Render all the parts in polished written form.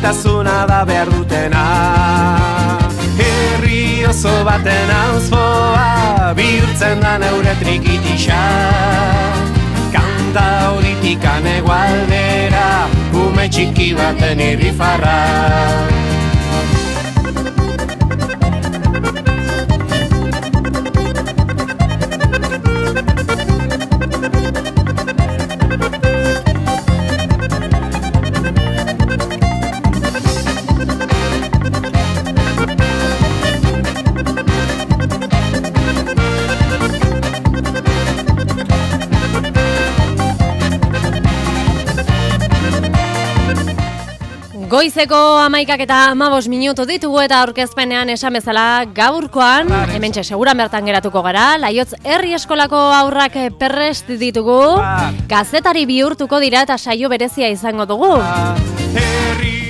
maitasuna da behar dutena. Herri oso baten auzpoa bihurtzen da neure trikitisa. Kanta horitik egualdera ume txiki baten irrifarra. Goizeko 11 eta 15 minutu ditugu eta aurkezpenean esan bezala gaurkoan, hementxe seguran bertan geratuko gara, Laiotz herri eskolako aurrak perrest ditugu, kazetari bihurtuko dira eta saio berezia izango dugu.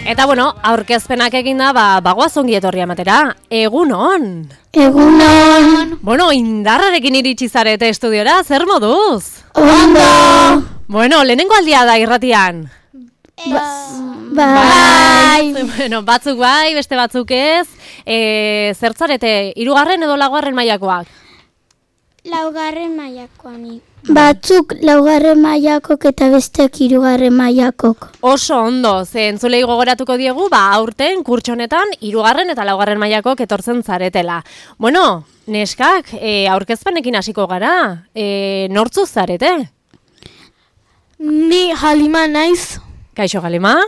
Eta bueno, aurkezpenak eginda, bagoaz ongi etorri ematera, egunon! Egunon! Bueno, indarrarekin iritsi zarete estudiora, zer moduz? Ondo! Bueno, lehenengo aldia da irratian. Bai! Bueno, batzuk bai, beste batzuk ez. Zertzarete, 3. edo 4. mailakoak? 4. mailakoa ni. Batzuk 4. mailakok eta besteak 3. mailakok. Oso ondo, ze entzulei gogoratuko diegu, aurten kurtsonetan 3. eta 4. mailakok etortzen zaretela. Bueno, neskak, aurkezpenekin hasiko gara. Nortzu zarete? Ni Halima naiz. Kaixo Halima?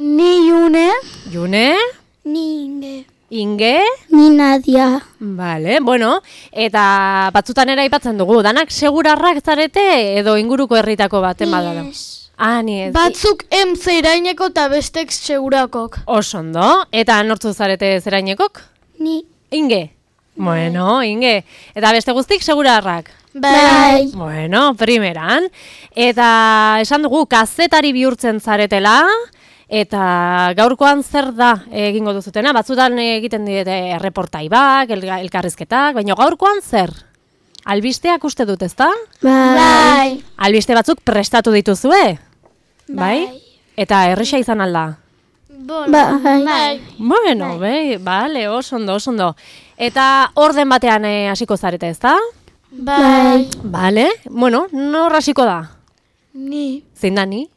Ni June. June? Ni Inge. Inge? Ni Nadia. Vale, bueno, eta batzutan ere aipatzen dugu, danak segurarrak zarete edo inguruko herritako baten badala? Yes. Ni ez. Batzuk zeraineko eta bestek segurakok. Oso ondo, eta nortzu zarete zerainekok? Ni. Inge? Bueno, Inge, eta beste guztik segurarrak? Bai. Bueno, primeran. Eta esan dugu, kazetari bihurtzen zaretela, eta gaurkoan zer da egingo duzutena? Batzutan egiten dite erreportaibak, elkarrizketak, baina gaurkoan zer? Albisteak uste dut, ezta? Bai. Albiste batzuk prestatu dituzue? Bai? Eta erresa izan alda? Bai. Bueno, bale, oso ondo. Eta orden batean hasiko zarete, ezta? Bai. Bale, bueno, nor hasiko da? Ni. Zein da ni?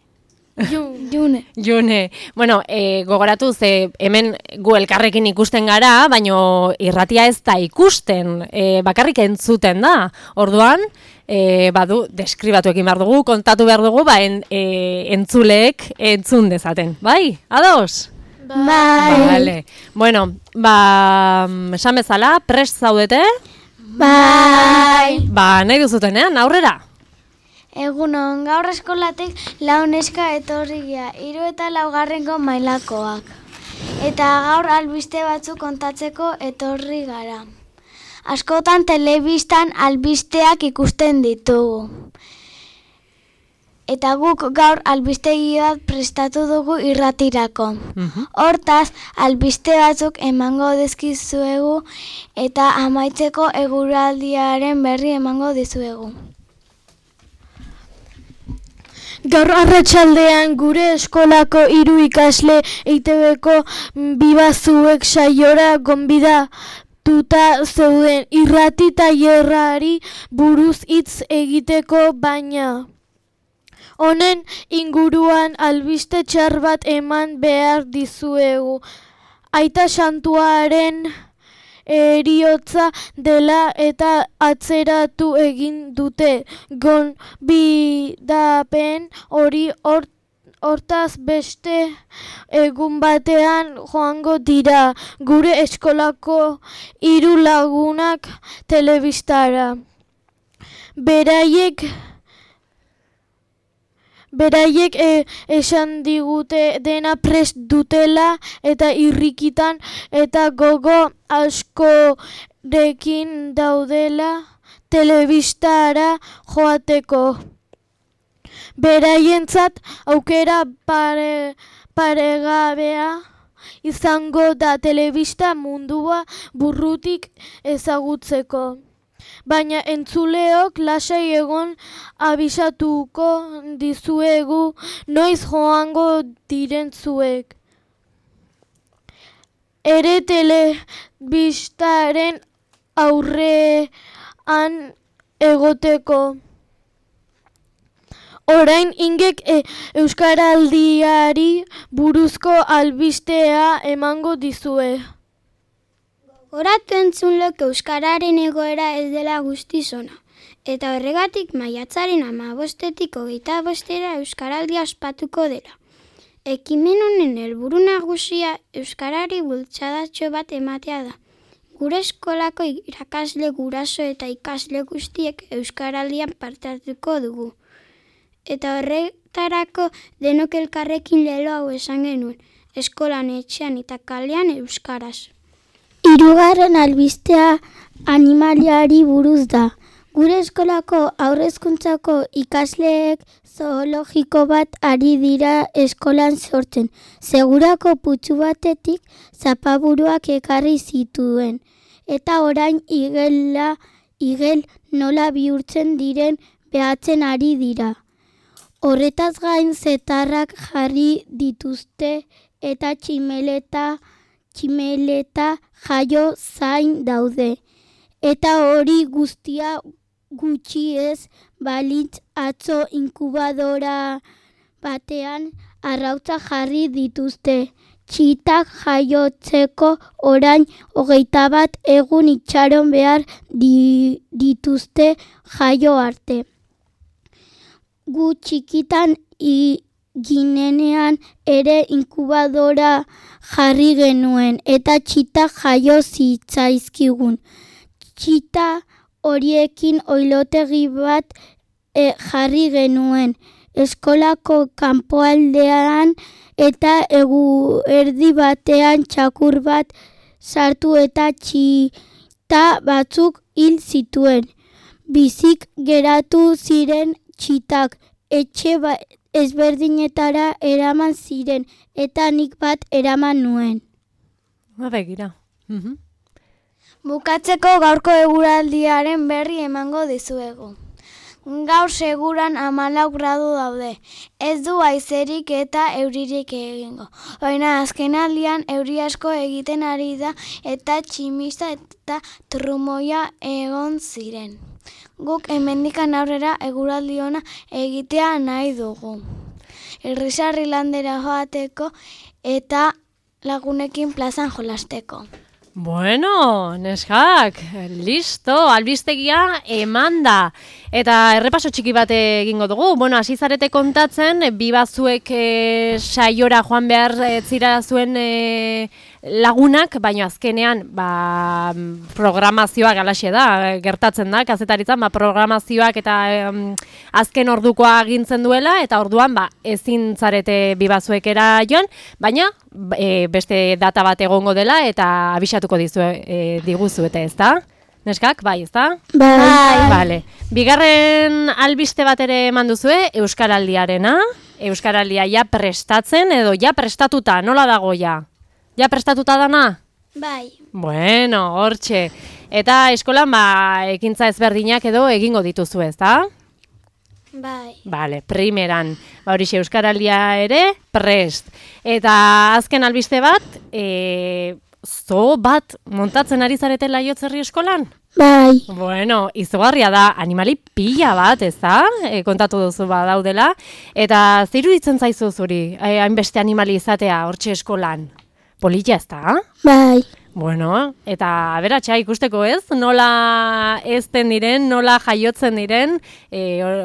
June. June. Bueno, gogoratu ze hemen gu elkarrekin ikusten gara, baino irratia ez da ikusten, bakarrik entzuten da. Orduan, deskribatu egin behar dugu, kontatu behar dugu, entzuleek entzun dezaten. Bai, ados? Bai. Vale. Bueno, esan bezala, prest zaudete? Bai. Nahi duzutenean, aurrera? Egunon, gaur eskolatik 4 neska etorria, 3 eta 4. mailakoak. Eta gaur albiste batzuk kontatzeko etorri gara. Askotan telebistan albisteak ikusten ditugu. Eta guk gaur albistegi bat prestatu dugu irratirako. Hortaz, albiste batzuk emango dizkizuegu eta amaitzeko eguraldiaren berri emango dizuegu. Gaur arratsaldean gure eskolako 3 ikasle EITBko bibazuek saiora gonbidatuta zeuden irrati tailerrari buruz hitz egiteko, baina honen inguruan albiste txar bat eman behar dizuegu. Aita Santuaren heriotza dela eta atzeratu egin dute gonbidapen hori. Hortaz beste egun batean joango dira gure eskolako 3 lagunak telebistara. Beraiek esan digute dena prest dutela eta irrikitan eta gogo askorekin daudela telebistara joateko. Beraientzat aukera paregabea izango da telebista mundua burrutik ezagutzeko. Baina entzuleok lasai egon, abisatuko dizuegu noiz joango diren zuek. ere telebistaren aurrean egoteko. Orain ingek euskaraldiari buruzko albistea emango dizue. Gogoratu entzunlok euskararen egoera ez dela guztiz ona. Eta horregatik maiatzaren 15-tik 25-era euskaraldia ospatuko dela. Ekimen honen helburu nagusia euskarari bultzadatxo bat ematea da. Gure eskolako irakasle guraso eta ikasle guztiek euskaraldian parte hartuko dugu. Eta horretarako denok elkarrekin lelo hau esan genuen, eskolan, etxean eta kalean euskaraz. Hirugarren albistea animaliari buruz da. Gure eskolako haurrezkuntzako ikasleek zoologiko bat ari dira eskolan sortzen. Segurako putzu batetik zapaburuak ekarri zituen. Eta orain igel nola bihurtzen diren behatzen ari dira. Horretaz gain zetarrak jarri dituzte eta tximeleta jaio zain daude. Eta hori guztia gutxi ez balitz atzo inkubadora batean arrautza jarri dituzte. Txitak jaiotzeko orain 21 egun itxaron behar dituzte jaio arte. Gu txikitan ginenean ere inkubadora jarri genuen eta txita jaio zitzaizkigun. Txita horiekin oilotegi bat jarri genuen eskolako kanpoaldean eta eguerdi batean txakur bat sartu eta txita batzuk hil zituen. Bizik geratu ziren txitak etxe ezberdinetara eraman ziren eta nik bat eraman nuen. Begira. Bukatzeko gaurko eguraldiaren berri emango dizuegu. Gaur seguran 14 gradu daude. Ez du haizerik eta euririk egingo. Baina azkenaldian euri asko egiten ari da eta tximista eta trumoia egon ziren. Guk hemendikan aurrera eguraldi ona egitea nahi dugu. Irrisarri landera joateko eta lagunekin plazan jolasteko. Bueno, neskak, listo, albistegia eman da. Eta errepaso txiki bat egingo dugu. Bueno, hasi zarete kontatzen, bi bazuek saiora joan behar zira zuen lagunak, baina azkenean programazioa galaxe da, gertatzen da, kazetaritzan, programazioak eta azken ordukoa agintzen duela, eta orduan ezin zarete bi bazuekera joan, baina beste data bat egongo dela, eta abisatuko diguzuete, ezta? Neskak, bai, ezta? Bai. Vale. Bigarren albiste bat ere eman duzue, euskaraldiarena. Euskaraldia ja prestatzen edo ja prestatuta, nola dago ja? Ja prestatuta dana? Bai. Bueno, hortxe. Eta eskolan ekintza ezberdinak edo egingo dituzu, ezta? Bai. Vale, primeran. Horixe euskaraldia ere prest. Eta azken albiste bat, zo bat montatzen ari zarete Laiotzerri eskolan? Bai. Bueno, izugarria da, animali pila bat, ez da? Kontatu duzu daudela. Eta zer iruditzen zaizu zuri, hainbeste animali izatea hortxe eskolan? Polita, ez da? Bai. Bueno, eta aberatxa ikusteko ez, nola ezten diren, nola jaiotzen diren,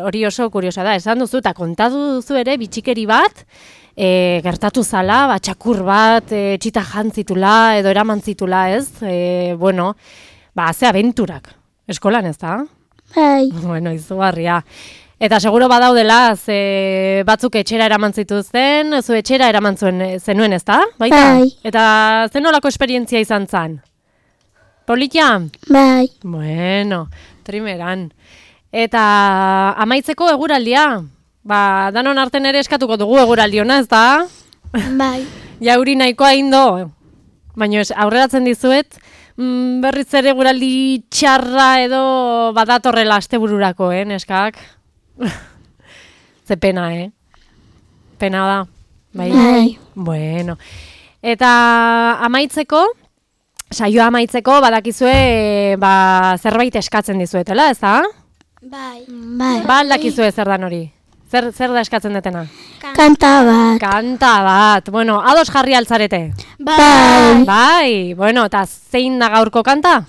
hori oso kuriosa da, esan duzu, eta kontatu duzu ere bitxikeri bat, gertatu zala, txakur bat, txita jantzitula edo eraman zitula, ez? Bueno, ze abenturak, eskolan ez da? Bai. Bueno, izugarria. Eta seguro badaudela, batzuk etxera eraman zituzten, zu etxera eraman zenuen ez da? Baita? Bai. Eta zenolako esperientzia izan zen? Politia? Bai. Bueno, trimeran. Eta amaitzeko eguraldia? Danon arten ere eskatuko dugu eguraldiona, ez da? Bai. Jauri nahikoa indo. Baina aurreratzen dizuet, berriz ere eguraldi txarra edo badatorrela astebururako, neskak? Ze pena, Pena da. Bai. Bai. Bueno. Eta amaitzeko, saioa amaitzeko, badakizue zerbait eskatzen dizuetela, ez da? Bai. Ba aldakizue zer dan hori? Zer da eskatzen detena? Kanta bat. Kanta bat. Bueno, ados jarri altzarete? Bai. Bai. Bueno, eta zein da gaurko kanta?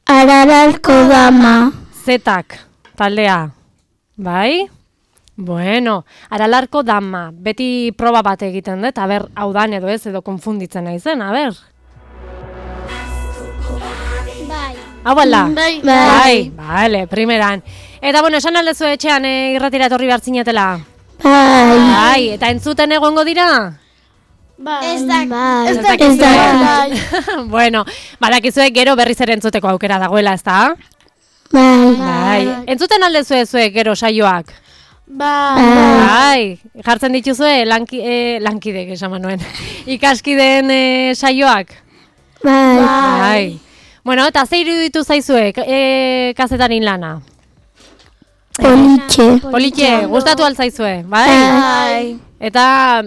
Aralarko dama. Zetak, taldea. Bai? Bueno, aralarko dama. Beti proba bat egiten dut, aber, hau dan edo ez, edo konfunditzen naizen, aber. Bai. Hau bala? Bai. Bai, bale, primeran. Eta, bueno, esan aldezu etxean irratira etorri behartzinetela? Bai. Bai, eta entzuten egongo dira? Bai. Ez da. Bai. Ez dakizue. Bai. Bueno, badakizue gero berriz ere entzuteko aukera dagoela, ezta? Bai. Bai. Entzuten aldezue zuek gero saioak? Bai. Bai. Jartzen dituzue lankidek esan manuen. Ikaskideen saioak? Bai. Bai. Bueno, eta ze iruditu zaizue kazetarin lana? Politxe. Politxe, gustatu altzaizue, bai? Bai. Eta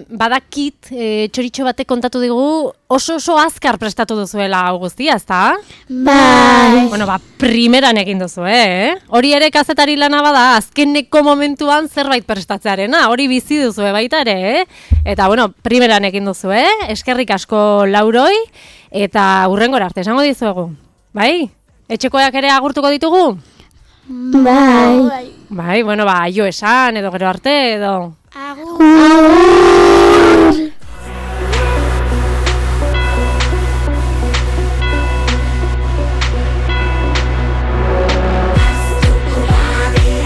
badakit txoritxo batek kontatu digu oso azkar prestatu duzuela hau guztia, ezta? Bai. Bueno, primeran egin duzu, Hori ere kazetari lana bada, azkeneko momentuan zerbait prestatzearena, hori bizi duzu baita ere, Eta, bueno, primeran egin duzu, Eskerrik asko Lauroi, eta hurrengora arte esango dizuegu. Bai? Etxekoak ere agurtuko ditugu? Bai. Bai, bueno, aio esan, edo gero arte, edo... Agur.